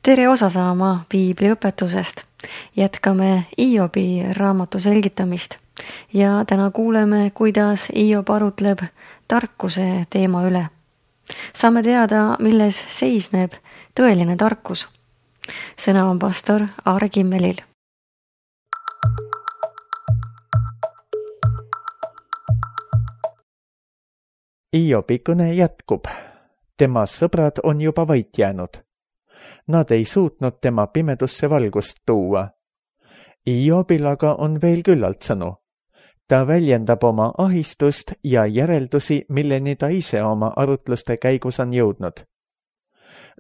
Tere osa saama piibliõpetusest. Jätkame Iobi raamatu selgitamist ja täna kuuleme, kuidas Iob arutleb tarkuse teema üle. Saame teada, milles seisneb tõeline tarkus. Sõna on pastor Aare Kimmelil. Iobi kõne jätkub. Tema sõbrad on juba vait jäänud. Nad ei suutnud tema pimedusse valgust tuua. Iobil aga on veel küllalt sõnu. Ta väljendab oma ahistust ja järeldusi, milleni ta ise oma arutluste käigus on jõudnud.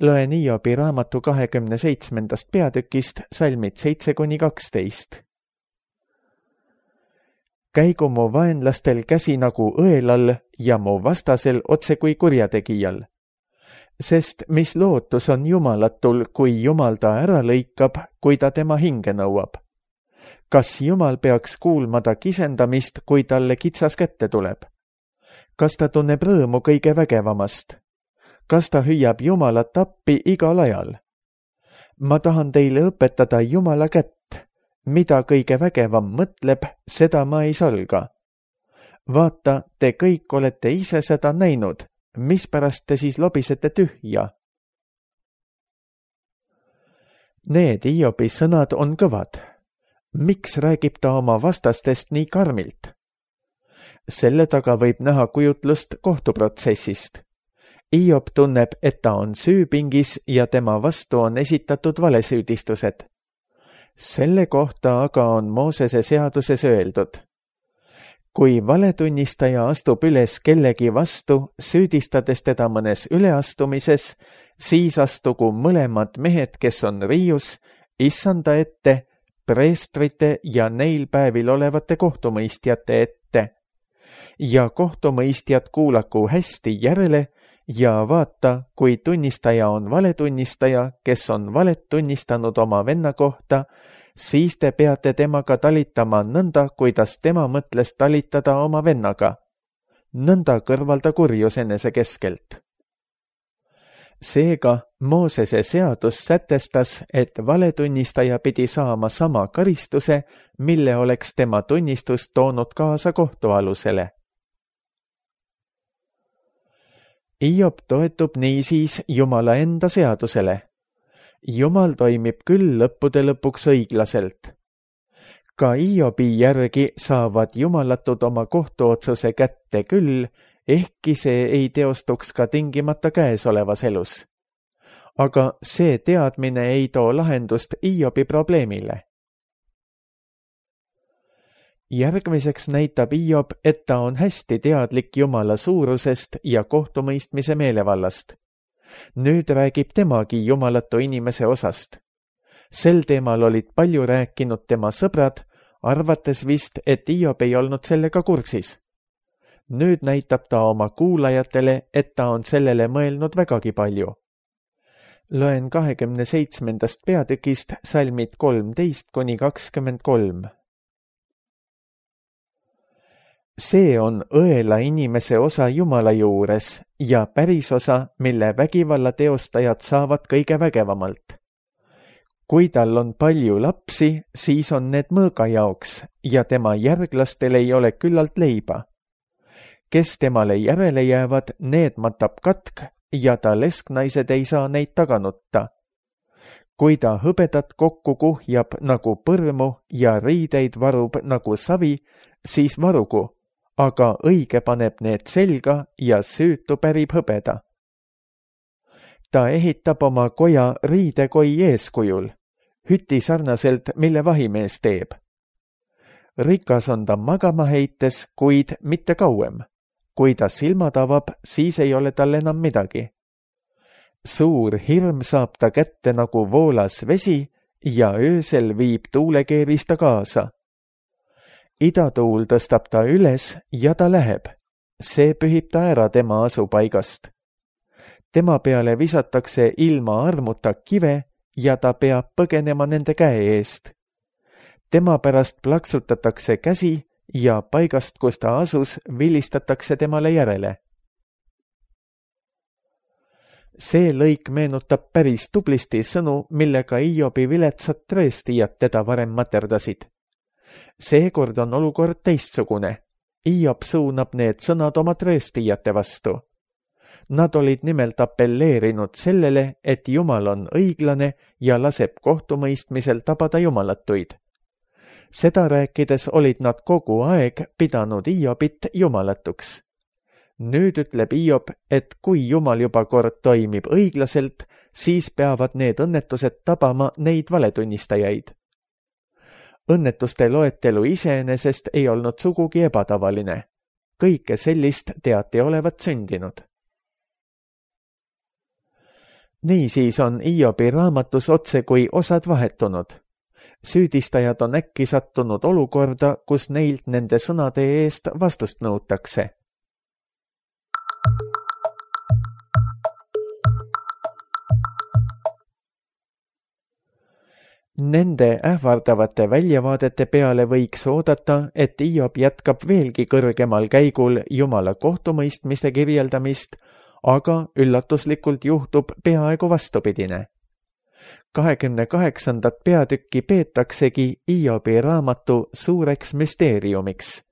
Loen Iobi raamatu 27. peatükist salmid 7-12. Käigu mu vaenlastel käsi nagu õelal ja mu vastasel otse kui kurjategijal. Sest mis lootus on Jumalatul, kui Jumal ta ära lõikab, kui ta tema hinge nõuab? Kas Jumal peaks kuulma ta kisendamist, kui talle kitsas kätte tuleb? Kas ta tunneb rõõmu kõige vägevamast? Kas ta hüüab Jumalat appi igal ajal? Ma tahan teile õpetada Jumala kätt. Mida kõige vägevam mõtleb, seda ma ei salga. Vaata, te kõik olete ise seda näinud. Mispärast te siis lobisete tühja? Need Iobi sõnad on kõvad. Miks räägib ta oma vastastest nii karmilt? Selle taga võib näha kujutlust kohtuprotsessist. Iob tunneb, et ta on süüpingis ja tema vastu on esitatud valesüüdistused. Selle kohta aga on Moosese seaduses öeldud. Kui valetunnistaja astub üles kellegi vastu, süüdistades teda mõnes üleastumises, siis astugu mõlemad mehed, kes on riius, issanda ette, preestrite ja neil päevil olevate kohtumõistjate ette. Ja kohtumõistjad kuulaku hästi järele ja vaata, kui tunnistaja on valetunnistaja, kes on valet tunnistanud oma venna kohta, siis te peate temaga talitama nõnda, kuidas tema mõtles talitada oma vennaga. Nõnda kõrvalda kurjus enese keskelt. Seega Moosese seadus sätestas, et valetunnistaja pidi saama sama karistuse, mille oleks tema tunnistus toonud kaasa kohtualusele. Iob toetub niisiis Jumala enda seadusele. Jumal toimib küll lõppude lõpuks õiglaselt. Ka Iobi järgi saavad jumalatud oma kohtuotsuse kätte küll, ehkki see ei teostuks ka tingimata käesolevas elus. Aga see teadmine ei too lahendust Iobi probleemile. Järgmiseks näitab Iob, et ta on hästi teadlik Jumala suurusest ja kohtumõistmise meelevallast. Nüüd räägib temagi jumalatu inimese osast. Sel teemal olid palju rääkinud tema sõbrad, arvates vist, et Iob ei olnud sellega kursis. Nüüd näitab ta oma kuulajatele, et ta on sellele mõelnud vägagi palju. Loen 27. peatükist salmid 13-23. See on õela inimese osa Jumala juures ja päris osa, mille vägivalla teostajad saavad kõige vägevamalt. Kui tal on palju lapsi, siis on need mõõga jaoks ja tema järglastel ei ole küllalt leiba. Kes temale järele jäävad, need matab katk ja ta lesknaised ei saa neid taganutta. Kui ta hõbedat kokku kuhjab nagu põrmu ja riideid varub nagu savi, siis varugu. Aga õige paneb need selga ja süütu pärib hõbeda. Ta ehitab oma koja riidekoi eeskujul, hüti sarnaselt, mille vahimees teeb. Rikas on ta magama heites, kuid mitte kauem. Kui ta silmad avab, siis ei ole tal enam midagi. Suur hirm saab ta kätte nagu voolas vesi ja öösel viib tuulekeeris ta kaasa. Idatuul tõstab ta üles ja ta läheb. See pühib ta ära tema asupaigast. Tema peale visatakse ilma armuta kive ja ta peab põgenema nende käe eest. Tema pärast plaksutatakse käsi ja paigast, kus ta asus, vilistatakse temale järele. See lõik meenutab päris tublisti sõnu, millega Hiobi viletsad trööstijad teda varem materdasid. Seekord on olukord teistsugune. Hiob suunab need sõnad oma trööstijate vastu. Nad olid nimelt apelleerinud sellele, et Jumal on õiglane ja laseb kohtumõistmisel tabada jumalatuid. Seda rääkides olid nad kogu aeg pidanud Hiobit jumalatuks. Nüüd ütleb Hiob, et kui Jumal juba kord toimib õiglaselt, siis peavad need õnnetused tabama neid valetunnistajaid. Õnnetuste loetelu iseenesest ei olnud sugugi ebatavaline. Kõike sellist teati olevat sündinud. Niisiis on Hiobi raamatus otse kui osad vahetunud. Süüdistajad on äkki sattunud olukorda, kus neilt nende sõnade eest vastust nõutakse. Nende ähvardavate väljavaadete peale võiks oodata, et Hiob jätkab veelgi kõrgemal käigul Jumala kohtumõistmise kirjeldamist, aga üllatuslikult juhtub peaaegu vastupidine. 28. peatükki peetaksegi Hiobi raamatu suureks müsteeriumiks.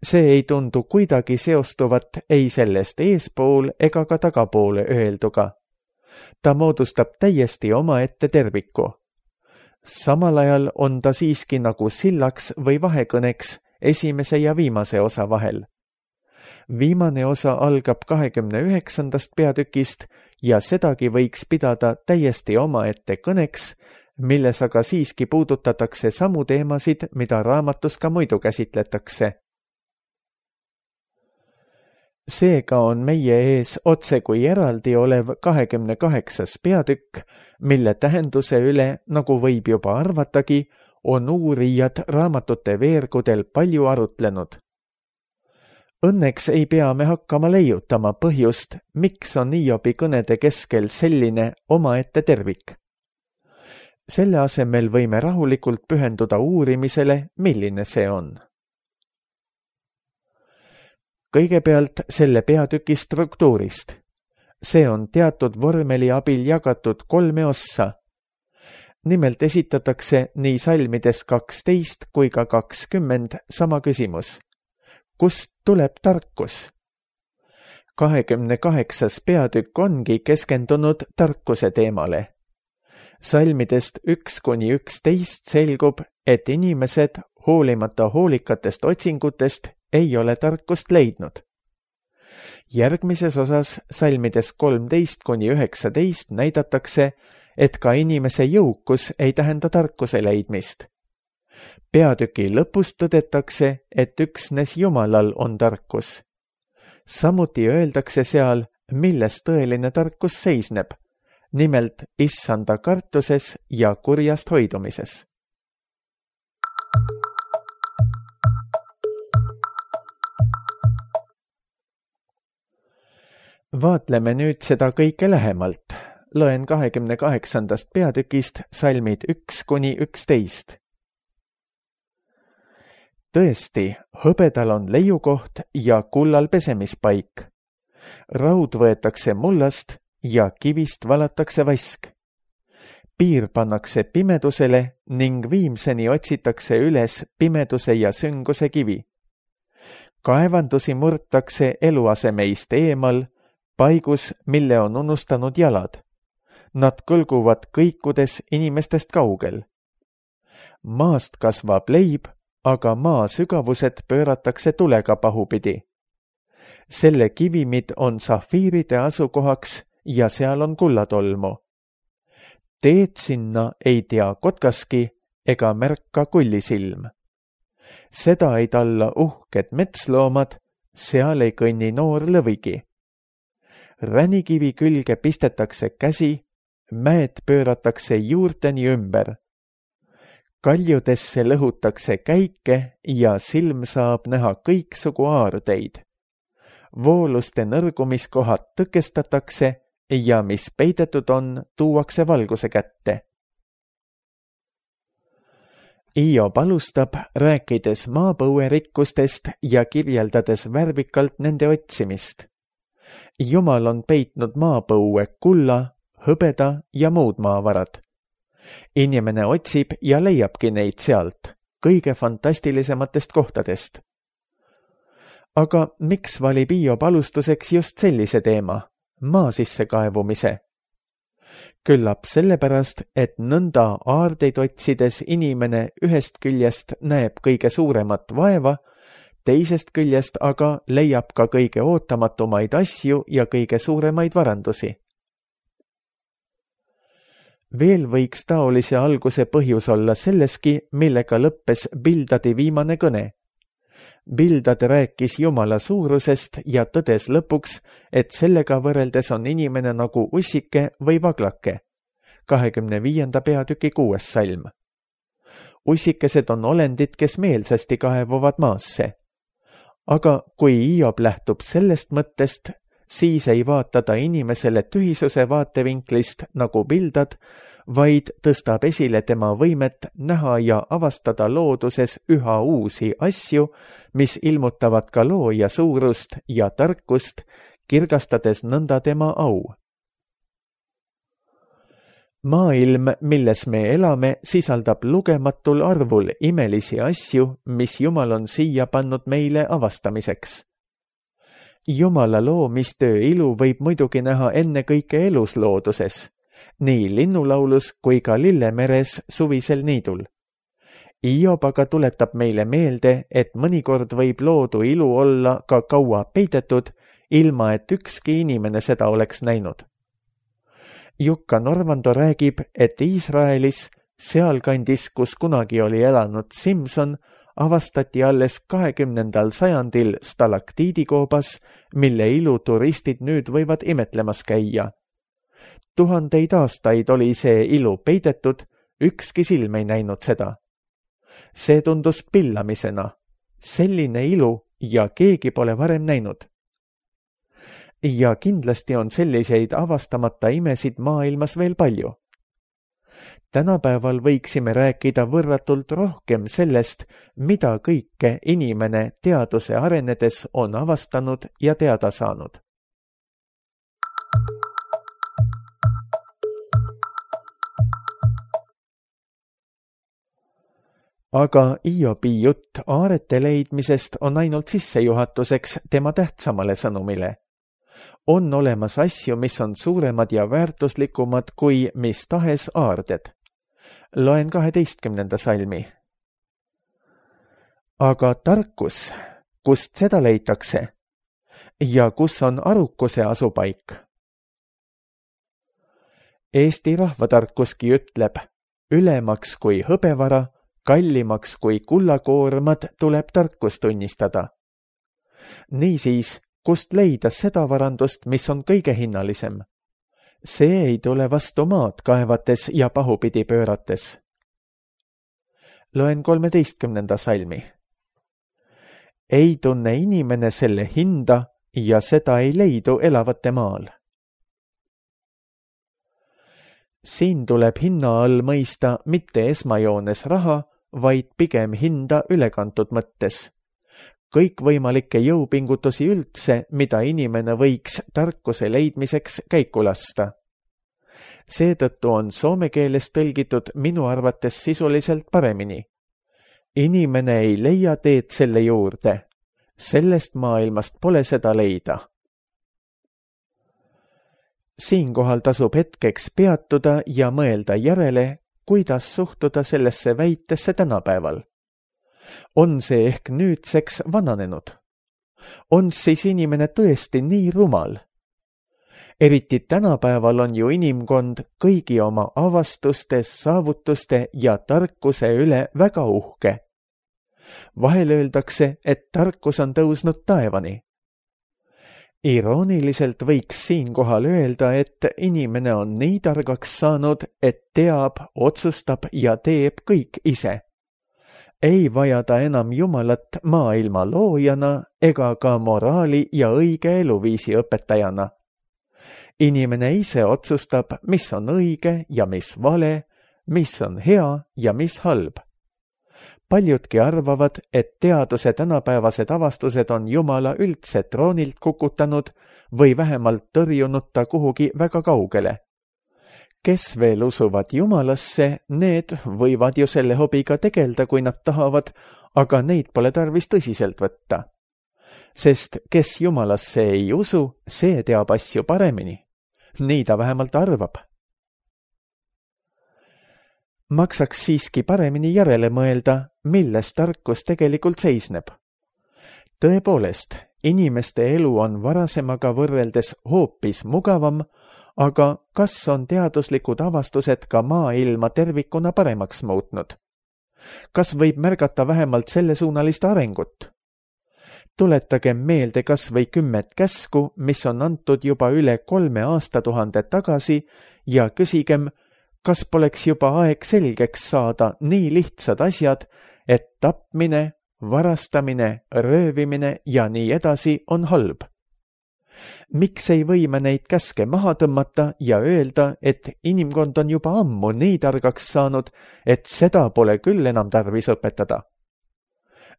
See ei tundu kuidagi seostuvat ei sellest eespool ega ka tagapoole öelduga. Ta moodustab täiesti omaette terviku. Samal ajal on ta siiski nagu sillaks või vahekõneks esimese ja viimase osa vahel. Viimane osa algab 29. peatükist ja sedagi võiks pidada täiesti omaette kõneks, milles aga siiski puudutatakse samu teemasid, mida raamatus ka muidu käsitletakse. Seega on meie ees otse kui eraldi olev 28. peatükk, mille tähenduse üle, nagu võib juba arvatagi, on uurijad raamatute veergudel palju arutlenud. Õnneks ei pea me hakkama leiutama põhjust, miks on Hiobi kõnede keskel selline omaette tervik. Selle asemel võime rahulikult pühenduda uurimisele, milline see on. Kõigepealt selle peatüki struktuurist. See on teatud vormeli abil jagatud 3 ossa. Nimelt esitatakse nii salmides 12 kui ka 20 sama küsimus. Kust tuleb tarkus? 28. peatükk ongi keskendunud tarkuse teemale. Salmidest 1-11 selgub, et inimesed, hoolimata hoolikatest otsingutest, ei ole tarkust leidnud. Järgmises osas salmides 13-19 näidatakse, et ka inimese jõukus ei tähenda tarkuse leidmist. Peatüki lõpus tõdetakse, et üksnes Jumalal on tarkus. Samuti öeldakse seal, milles tõeline tarkus seisneb, nimelt issanda kartuses ja kurjast hoidumises. Vaatleme nüüd seda kõike lähemalt. Loen 28. peatükist salmid 1-11. Tõesti, hõbedal on leiukoht ja kullal pesemispaik. Raud võetakse mullast ja kivist valatakse vask. Piir pannakse pimedusele ning viimseni otsitakse üles pimeduse ja sünguse kivi. Kaevandusi murtakse eluasemeist eemal, paigus, mille on unustanud jalad. Nad kõlguvad kõikudes inimestest kaugel. Maast kasvab leib, aga maa sügavused pööratakse tulega pahupidi. Selle kivimid on safiiride asukohaks ja seal on kullatolmu. Teed sinna ei tea kotkaski ega märka kullisilm. Seda ei talla uhked metsloomad, seal ei kõnni noor lõvigi. Ränikivi külge pistetakse käsi, mäed pööratakse juurteni ümber. Kaljudesse lõhutakse käike ja silm saab näha kõiksugu aardeid. Vooluste nõrgumiskohad tõkestatakse ja mis peidetud on, tuuakse valguse kätte. Hiob alustab, rääkides maapõue rikkustest ja kirjeldades värvikalt nende otsimist. Jumal on peitnud maapõue kulla, hõbeda ja muud maavarad. Inimene otsib ja leiabki neid sealt, kõige fantastilisematest kohtadest. Aga miks valib Hiob alustuseks just sellise teema, maa sisse kaevumise? Küllap sellepärast, et nõnda aardeid otsides inimene ühest küljest näeb kõige suuremat vaeva, teisest küljest aga leiab ka kõige ootamatumaid asju ja kõige suuremaid varandusi. Veel võiks taolise alguse põhjus olla selleski, millega lõppes Bildadi viimane kõne. Bildad rääkis Jumala suurusest ja tõdes lõpuks, et sellega võrreldes on inimene nagu ussike või vaglake. 25. peatüki 6. salm. Ussikesed on olendid, kes meelsasti kaevuvad maasse. Aga kui Hiob lähtub sellest mõttest, siis ei vaata ta inimesele tühisuse vaatevinklist nagu Bildad, vaid tõstab esile tema võimet näha ja avastada looduses üha uusi asju, mis ilmutavad ka looja suurust ja tarkust, kirgastades nõnda tema au. Maailm, milles me elame, sisaldab lugematul arvul imelisi asju, mis Jumal on siia pannud meile avastamiseks. Jumala loomistöö ilu võib muidugi näha ennekõike eluslooduses, nii linnulaulus kui ka Lillemeres suvisel niidul. Hiob aga tuletab meile meelde, et mõnikord võib loodu ilu olla ka kaua peidetud, ilma et ükski inimene seda oleks näinud. Jukka Norvando räägib, et Iisraelis, sealkandis, kus kunagi oli elanud Simson, avastati alles 20. sajandil stalaktiidikoobas, mille ilu turistid nüüd võivad imetlemas käia. 1000 aastaid oli see ilu peidetud, ükski silm ei näinud seda. See tundus pillamisena, selline ilu ja keegi pole varem näinud. Ja kindlasti on selliseid avastamata imesid maailmas veel palju. Tänapäeval võiksime rääkida võrratult rohkem sellest, mida kõike inimene teaduse arenedes on avastanud ja teada saanud. Aga Hiobi jutt aarete leidmisest on ainult sissejuhatuseks tema tähtsamale sõnumile. On olemas asju, mis on suuremad ja väärtuslikumad kui mis tahes aarded. Loen 12. salmi. Aga tarkus, kust seda leitakse? Ja kus on arukuse asupaik? Eesti rahvatarkuski ütleb, ülemaks kui hõbevara, kallimaks kui kullakoormad tuleb tarkust tunnistada. Niisiis, kust leida seda varandust, mis on kõige hinnalisem? See ei tule vastu maad kaevates ja pahupidi pöörates. Loen 13. salmi. Ei tunne inimene selle hinda ja seda ei leidu elavate maal. Siin tuleb hinna all mõista mitte esmajoones raha, vaid pigem hinda ülekantud mõttes. Kõikvõimalikke jõupingutusi üldse, mida inimene võiks tarkuse leidmiseks käiku lasta. Seetõttu on soome keeles tõlgitud minu arvates sisuliselt paremini. Inimene ei leia teed selle juurde. Sellest maailmast pole seda leida. Siinkohal tasub hetkeks peatuda ja mõelda järele, kuidas suhtuda sellesse väitesse tänapäeval. On see ehk nüüdseks vananenud? On siis inimene tõesti nii rumal? Eriti tänapäeval on ju inimkond kõigi oma avastuste, saavutuste ja tarkuse üle väga uhke. Vahel öeldakse, et tarkus on tõusnud taevani. Irooniliselt võiks siinkohal öelda, et inimene on nii targaks saanud, et teab, otsustab ja teeb kõik ise. Ei vaja ta enam Jumalat maailma loojana ega ka moraali ja õige eluviisi õpetajana. Inimene ise otsustab, mis on õige ja mis vale, mis on hea ja mis halb. Paljudki arvavad, et teaduse tänapäevased avastused on Jumala üldse troonilt kukutanud või vähemalt tõrjunud ta kuhugi väga kaugele. Kes veel usuvad Jumalasse, need võivad ju selle hobiga tegelda, kui nad tahavad, aga neid pole tarvis tõsiselt võtta. Sest kes Jumalasse ei usu, see teab asju paremini. Nii ta vähemalt arvab. Maksaks siiski paremini järele mõelda, milles tarkus tegelikult seisneb. Tõepoolest, inimeste elu on varasemaga võrreldes hoopis mugavam, aga kas on teaduslikud avastused ka maailma tervikuna paremaks muutnud? Kas võib märgata vähemalt sellesuunalist arengut? Tuletagem meelde kas või 10 käsku, mis on antud juba üle 3 aastatuhande tagasi ja küsigem, kas poleks juba aeg selgeks saada nii lihtsad asjad, et tapmine, varastamine, röövimine ja nii edasi on halb. Miks ei või me neid käske maha tõmmata ja öelda, et inimkond on juba ammu nii targaks saanud, et seda pole küll enam tarvis õpetada?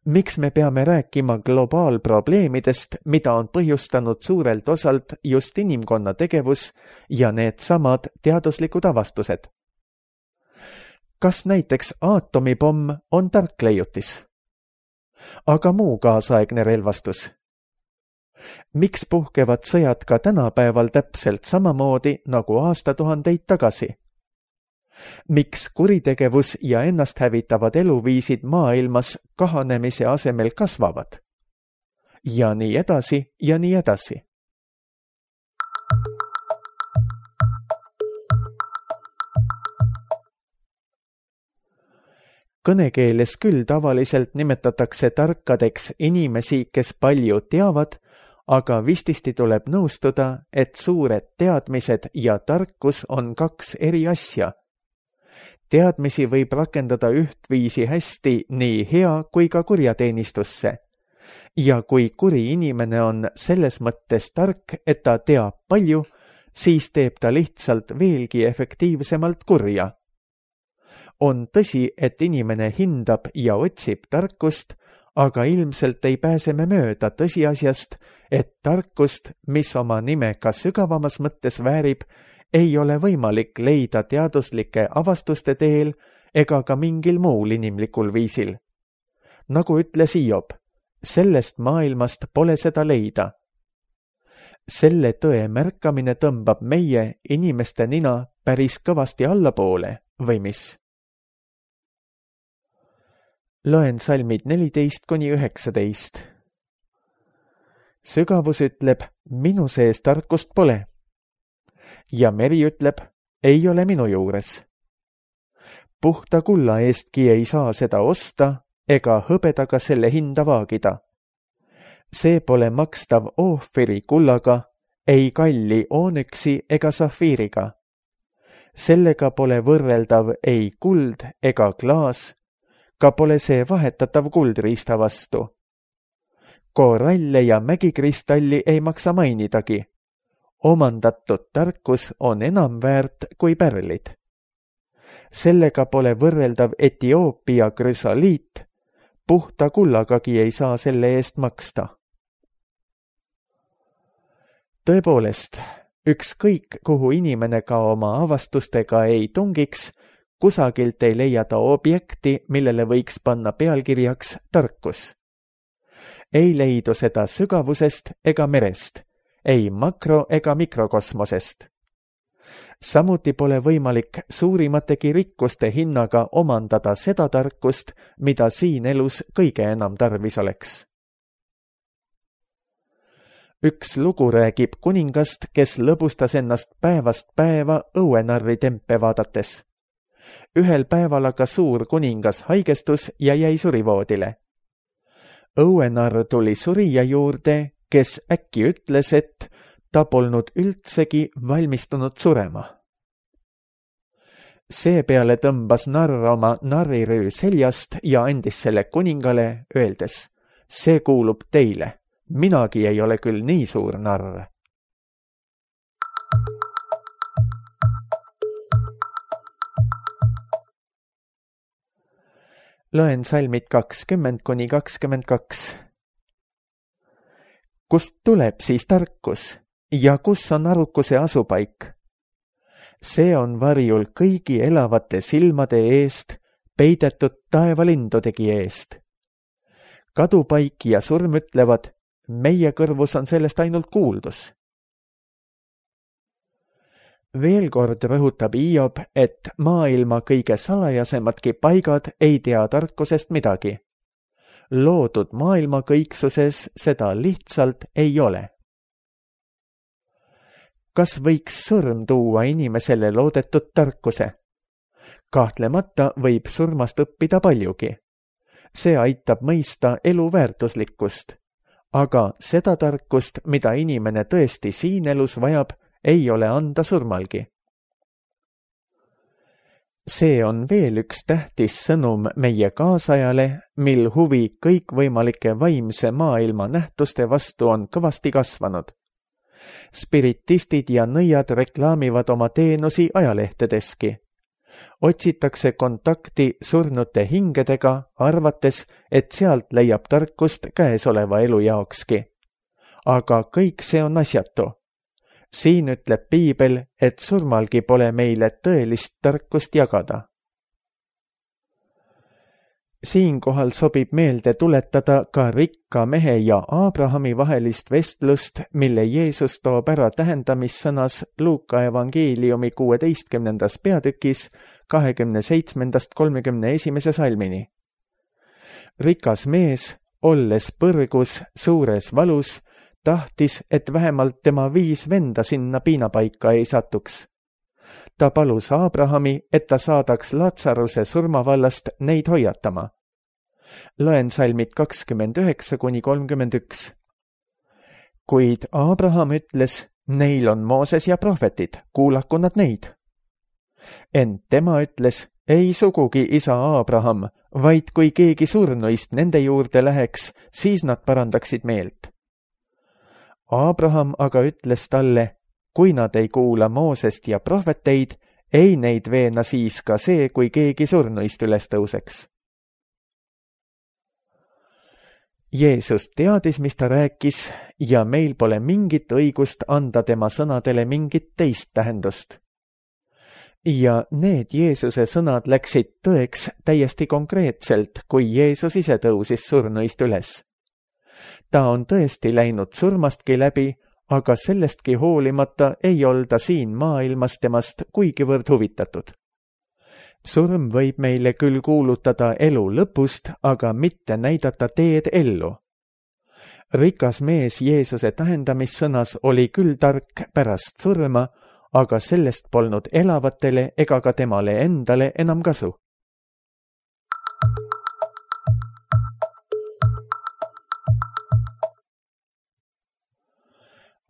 Miks me peame rääkima globaalprobleemidest, mida on põhjustanud suurelt osalt just inimkonna tegevus ja need samad teaduslikud avastused? Kas näiteks aatomipomm on tark leiutis? Aga muu kaasaegne relvastus? Miks puhkevad sõjad ka tänapäeval täpselt samamoodi nagu aastatuhandeid tagasi? Miks kuritegevus ja ennast hävitavad eluviisid maailmas kahanemise asemel kasvavad? Ja nii edasi ja nii edasi. Kõnekeeles küll tavaliselt nimetatakse tarkadeks inimesi, kes palju teavad, aga vististi tuleb nõustuda, et suured teadmised ja tarkus on 2 eri asja. Teadmisi võib rakendada ühtviisi hästi nii hea kui ka kurjateenistusse. Ja kui kuri inimene on selles mõttes tark, et ta teab palju, siis teeb ta lihtsalt veelgi efektiivsemalt kurja. On tõsi, et inimene hindab ja otsib tarkust, aga ilmselt ei pääse me mööda tõsiasjast, et tarkust, mis oma nime ka sügavamas mõttes väärib, ei ole võimalik leida teaduslike avastuste teel ega ka mingil muul inimlikul viisil. Nagu ütles Hiob, sellest maailmast pole seda leida. Selle tõe märkamine tõmbab meie inimeste nina päris kõvasti allapoole, või mis? Loen salmid 14–19. Sügavus ütleb, minu sees tarkust pole. Ja meri ütleb, ei ole minu juures. Puhta kulla eestki ei saa seda osta, ega hõbedaga selle hinda vaagida. See pole makstav oohviri kullaga, ei kalli oonüksi ega safiiriga. Sellega pole võrreldav ei kuld ega klaas, ka pole see vahetatav kuldriista vastu. Koralle ja mägikristalli ei maksa mainidagi. Omandatud tarkus on enam väärt kui pärlid. Sellega pole võrreldav Etioopia krüsoliit, puhta kullagagi ei saa selle eest maksta. Tõepoolest, ükskõik kuhu inimene ka oma avastustega ei tungiks, kusagilt ei leia ta objekti, millele võiks panna pealkirjaks tarkus. Ei leidu seda sügavusest ega merest, ei makro- ega mikrokosmosest. Samuti pole võimalik suurimategi rikkuste hinnaga omandada seda tarkust, mida siin elus kõige enam tarvis oleks. Üks lugu räägib kuningast, kes lõbustas ennast päevast päeva õuenarri tempe vaadates. Ühel päeval aga suur kuningas haigestus ja jäi surivoodile. Õuenarr tuli surija juurde, kes äkki ütles, et ta polnud üldsegi valmistunud surema. Seepeale tõmbas narr oma narrirüü seljast ja andis selle kuningale, öeldes, see kuulub teile, minagi ei ole küll nii suur narr. Loen salmid 20–22. Kust tuleb siis tarkus ja kus on arukuse asupaik? See on varjul kõigi elavate silmade eest, peidetud taevalindudegi eest. Kadupaik ja surm ütlevad, meie kõrvus on sellest ainult kuuldus. Veel kord rõhutab Hiob, et maailma kõige salajasemadki paigad ei tea tarkusest midagi. Loodud maailma kõiksuses seda lihtsalt ei ole. Kas võiks surm tuua inimesele loodetud tarkuse? Kahtlemata võib surmast õppida paljugi. See aitab mõista elu väärtuslikkust, aga seda tarkust, mida inimene tõesti siin elus vajab, ei ole anda surmalgi. See on veel üks tähtis sõnum meie kaasajale, mil huvi kõikvõimalike vaimse maailma nähtuste vastu on kõvasti kasvanud. Spiritistid ja nõiad reklaamivad oma teenusi ajalehtedeski. Otsitakse kontakti surnute hingedega, arvates, et sealt leiab tarkust käesoleva elu jaokski. Aga kõik see on asjatu. Siin ütleb Piibel, et surmalgi pole meile tõelist tarkust jagada. Siinkohal sobib meelde tuletada ka rikka mehe ja Abrahami vahelist vestlust, mille Jeesus toob ära tähendamissõnas Luuka evangeeliumi 16. peatükis 27–31 salmini. Rikas mees, olles põrgus suures valus, tahtis, et vähemalt tema 5 venda sinna piinapaika ei satuks. Ta palus Abrahami, et ta saadaks Latsaruse surmavallast neid hoiatama. Loen salmid 29–31. Kuid Abraham ütles, neil on Mooses ja prohvetid, kuulaku nad neid. Ent tema ütles, ei sugugi isa Abraham, vaid kui keegi surnuist nende juurde läheks, siis nad parandaksid meelt. Abraham aga ütles talle, kui nad ei kuula Moosest ja prohveteid, ei neid veena siis ka see, kui keegi surnuist üles tõuseks. Jeesus teadis, mis ta rääkis, ja meil pole mingit õigust anda tema sõnadele mingit teist tähendust. Ja need Jeesuse sõnad läksid tõeks täiesti konkreetselt, kui Jeesus ise tõusis surnuist üles. Ta on tõesti läinud surmastki läbi, aga sellestki hoolimata ei olda siin maailmas temast kuigivõrd huvitatud. Surm võib meile küll kuulutada elu lõpust, aga mitte näidata teed ellu. Rikas mees Jeesuse tähendamissõnas oli küll tark pärast surma, aga sellest polnud elavatele ega ka temale endale enam kasu.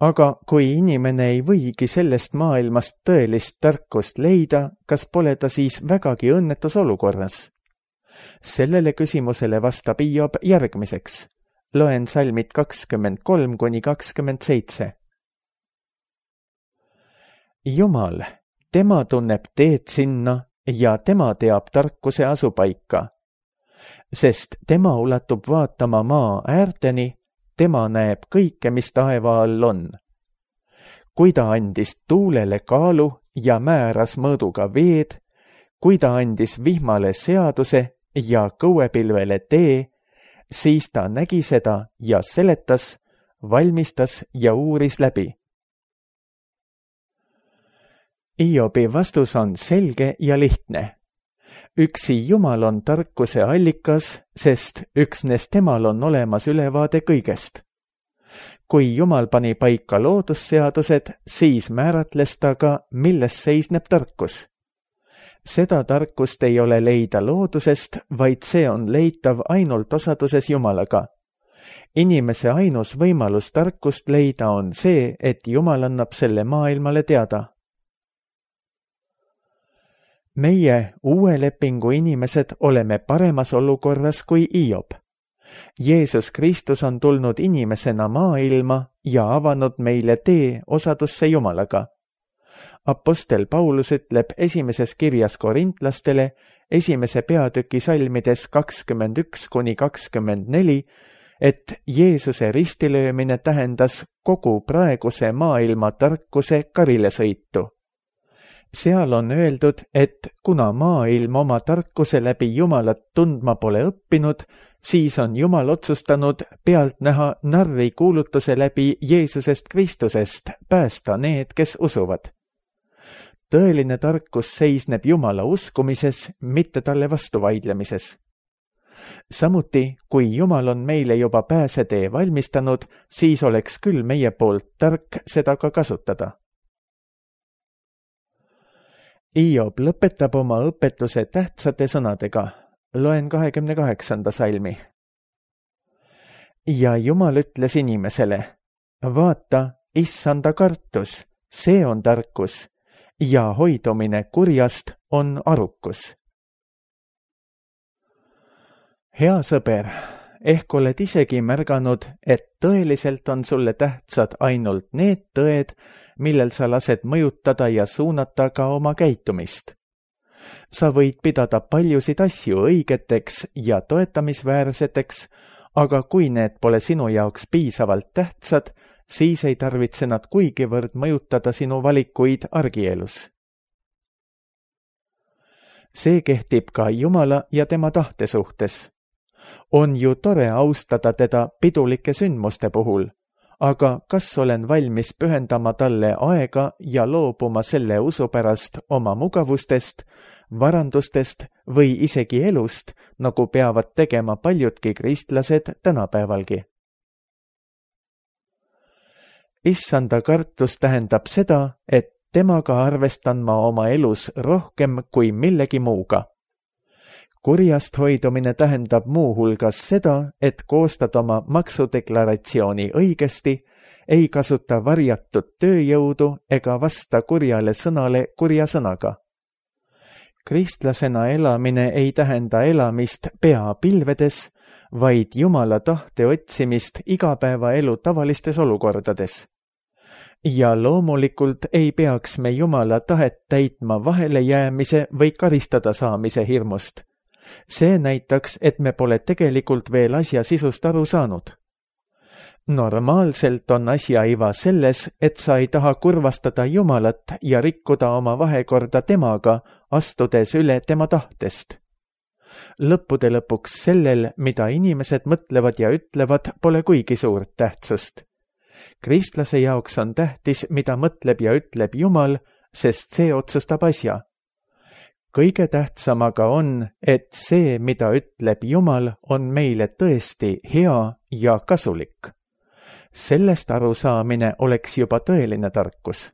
Aga kui inimene ei võigi sellest maailmast tõelist tarkust leida, kas pole ta siis vägagi õnnetus olukorras? Sellele küsimusele vastab Hiob järgmiseks. Loen salmid 23–27. Jumal, tema tunneb teed sinna ja tema teab tarkuse asupaika. Sest tema ulatub vaatama maa äärteni, tema näeb kõike, mis taeva all on. Kui ta andis tuulele kaalu ja määras mõõduga veed, kui ta andis vihmale seaduse ja kõuepilvele tee, siis ta nägi seda ja seletas, valmistas ja uuris läbi. Hiobi vastus on selge ja lihtne. Üksi Jumal on tarkuse allikas, sest üksnes temal on olemas ülevaade kõigest. Kui Jumal pani paika loodusseadused, siis määratles ta ka, milles seisneb tarkus. Seda tarkust ei ole leida loodusest, vaid see on leitav ainult osaduses Jumalaga. Inimese ainus võimalus tarkust leida on see, et Jumal annab selle maailmale teada. Meie uue lepingu inimesed oleme paremas olukorras kui Hiob. Jeesus Kristus on tulnud inimesena maailma ja avanud meile tee osadusse Jumalaga. Apostel Paulus ütleb esimeses kirjas korintlastele, 1. peatüki salmides 21–24, et Jeesuse ristilöömine tähendas kogu praeguse maailma tarkuse karilesõitu. Seal on öeldud, et kuna maailm oma tarkuse läbi Jumalat tundma pole õppinud, siis on Jumal otsustanud pealt näha narri kuulutuse läbi Jeesusest Kristusest päästa need, kes usuvad. Tõeline tarkus seisneb Jumala uskumises, mitte talle vastu vaidlemises. Samuti, kui Jumal on meile juba pääsetee valmistanud, siis oleks küll meie poolt tark seda ka kasutada. Hiob lõpetab oma õpetuse tähtsate sõnadega. Loen 28. salmi. Ja Jumal ütles inimesele, vaata, issanda kartus, see on tarkus, ja hoidumine kurjast on arukus. Hea sõber, ehk oled isegi märganud, et tõeliselt on sulle tähtsad ainult need tõed, millel sa lased mõjutada ja suunata ka oma käitumist. Sa võid pidada paljusid asju õigeteks ja toetamisväärseteks, aga kui need pole sinu jaoks piisavalt tähtsad, siis ei tarvitse nad kuigivõrd mõjutada sinu valikuid argielus. See kehtib ka Jumala ja tema tahte suhtes. On ju tore austada teda pidulike sündmuste puhul, aga kas olen valmis pühendama talle aega ja loobuma selle usu pärast oma mugavustest, varandustest või isegi elust, nagu peavad tegema paljudki kristlased tänapäevalgi? Issanda kartus tähendab seda, et temaga arvestan ma oma elus rohkem kui millegi muuga. Kurjast hoidumine tähendab muu hulgas seda, et koostad oma maksudeklaratsiooni õigesti, ei kasuta varjatud tööjõudu ega vasta kurjale sõnale kurja sõnaga. Kristlasena elamine ei tähenda elamist pea pilvedes, vaid Jumala tahte otsimist igapäevaelu tavalistes olukordades. Ja loomulikult ei peaks me Jumala tahet täitma vahelejäämise või karistada saamise hirmust. See näitaks, et me pole tegelikult veel asja sisust aru saanud. Normaalselt on asja iva selles, et sa ei taha kurvastada Jumalat ja rikkuda oma vahekorda temaga, astudes üle tema tahtest. Lõppude lõpuks sellel, mida inimesed mõtlevad ja ütlevad, pole kuigi suurt tähtsust. Kristlase jaoks on tähtis, mida mõtleb ja ütleb Jumal, sest see otsustab asja. Kõige tähtsam aga on, et see, mida ütleb Jumal, on meile tõesti hea ja kasulik. Sellest arusaamine oleks juba tõeline tarkus.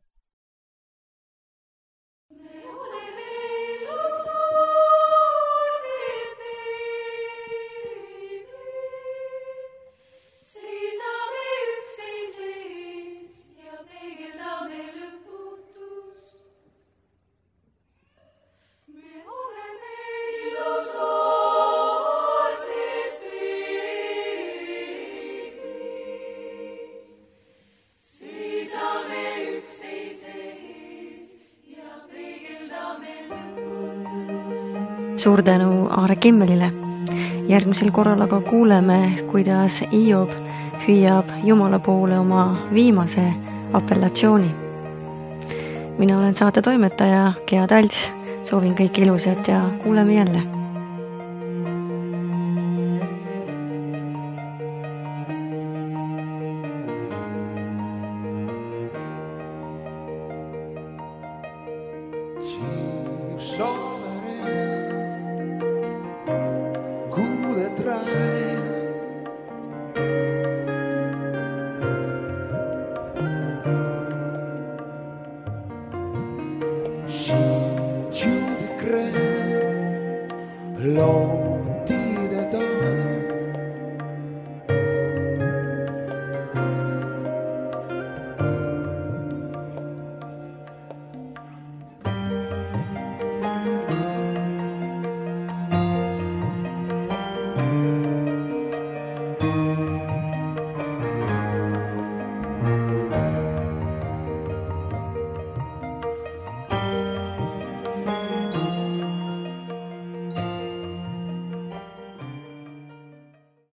Suur tänu Aare Kimmelile. Järgmisel korral aga kuuleme, kuidas Hiob hüüab Jumala poole oma viimase apellatsiooni. Mina olen saate toimetaja Gea Talts, soovin kõike ilusat ja kuuleme jälle.